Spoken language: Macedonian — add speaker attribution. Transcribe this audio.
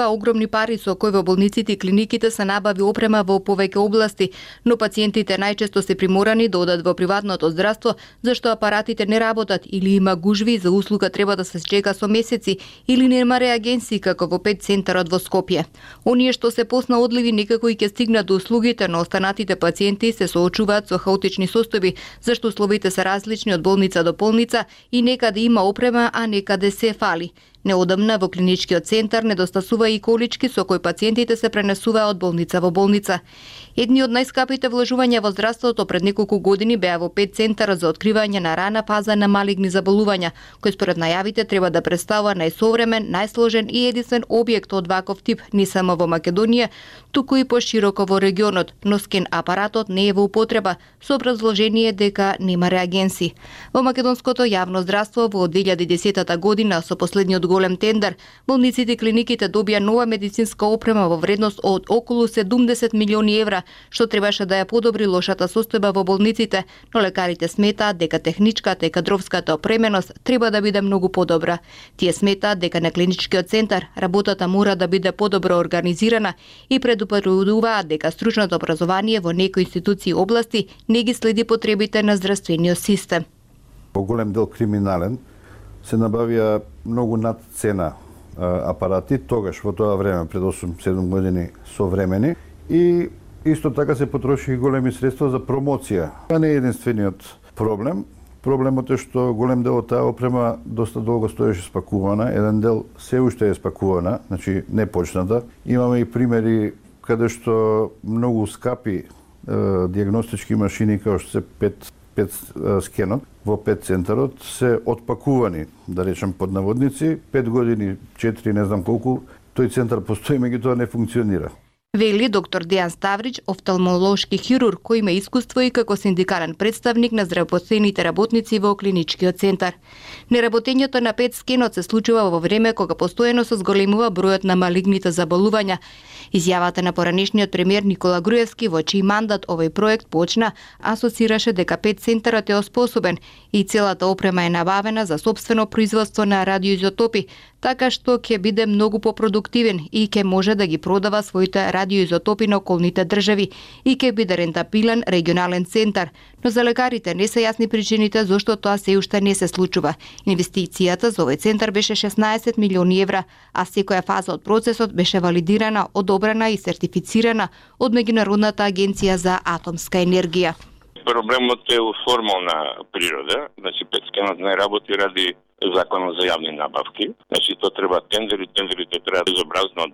Speaker 1: Огромни пари со кои во болниците и клиниките се набави опрема во повеќе области, но пациентите најчесто се приморани да одат во приватното здравство, зашто апаратите не работат или има гужви за услуга треба да се чека со месеци или нема реагенси како во ПЕТ центарот во Скопје. Оние што се поснаодливи некако и ќе стигнат до услугите, но останатите пациенти се соочуваат со хаотични состојби, зашто условите се различни од болница до болница и некаде има опрема, а некаде се фали. Неодамна во клиничкиот центар недостасува и колички со кои пациентите се пренесуваат од болница во болница. Едни од најскапите вложувања во здравството пред неколку години беа во ПЕТ центарот за откривање на рана фаза на малигни заболувања, кој според најавите треба да представува најсовремен, најсложен и единствен објект од ваков тип не само во Македонија, туку и пошироко во регионот, но скен апаратот не е во употреба, со образложение дека нема реагенси. Во македонското јавно здравство во 2010 година со последниот голем тендер, болниците и клиниките добија нова медицинска опрема во вредност од околу 70 милиони евра, што требаше да ја подобри лошата состојба во болниците, но лекарите сметаат дека техничката и кадровската опременост треба да биде многу подобра. Тие сметаат дека на клиничкиот центар работата мора да биде подобро организирана и предупредуваат дека стручното образование во некои институции и области не ги следи потребите на здравствениот систем.
Speaker 2: По голем дел криминален се набавија многу над цена апарати, тогаш во тоа време, пред 8-7 години современи, и исто така се потроши големи средства за промоција. Тоа не е единствениот проблем. Проблемот е што голем дел од таа опрема доста долго стоеше спакувана, еден дел се уште е спакувана, значи не почната. Имаме и примери каде што многу скапи диагностички машини како што се ПЕТ скенот во ПЕТ центарот се отпакувани, да речем под наводници, 5 години, 4, не знам колку, тој центар постои, меѓутоа не функционира.
Speaker 1: Вели доктор Дејан Ставрич, офталмолошки хирург кој има искуство и како синдикален представник на здравоопштените работници во клиничкиот центар. Неработењето на ПЕТ скенот се случува во време кога постојано се зголемува бројот на малигните заболувања. Изјавата на поранешниот премиер Никола Груевски, во чиј мандат овој проект почна, асоцираше дека ПЕТ центарот е оспособен и целата опрема е набавена за сопствено производство на радиоизотопи, така што ќе биде многу попродуктивен и ќе може да ги продава своите радиоизотопи на околните држави и ќе биде рентабилен регионален центар, но за лекарите не се јасни причините зошто тоа се уште не се случува. Инвестицијата за овој центар беше 16 милиони евра, а секоја фаза од процесот беше валидирана, одобрена и сертифицирана од Меѓународната агенција за атомска енергија.
Speaker 3: Проблемот е у формална природа, значи ПЕТ скенот не работи ради законот за јавни набавки, значи тоа треба тендерите треба безобразно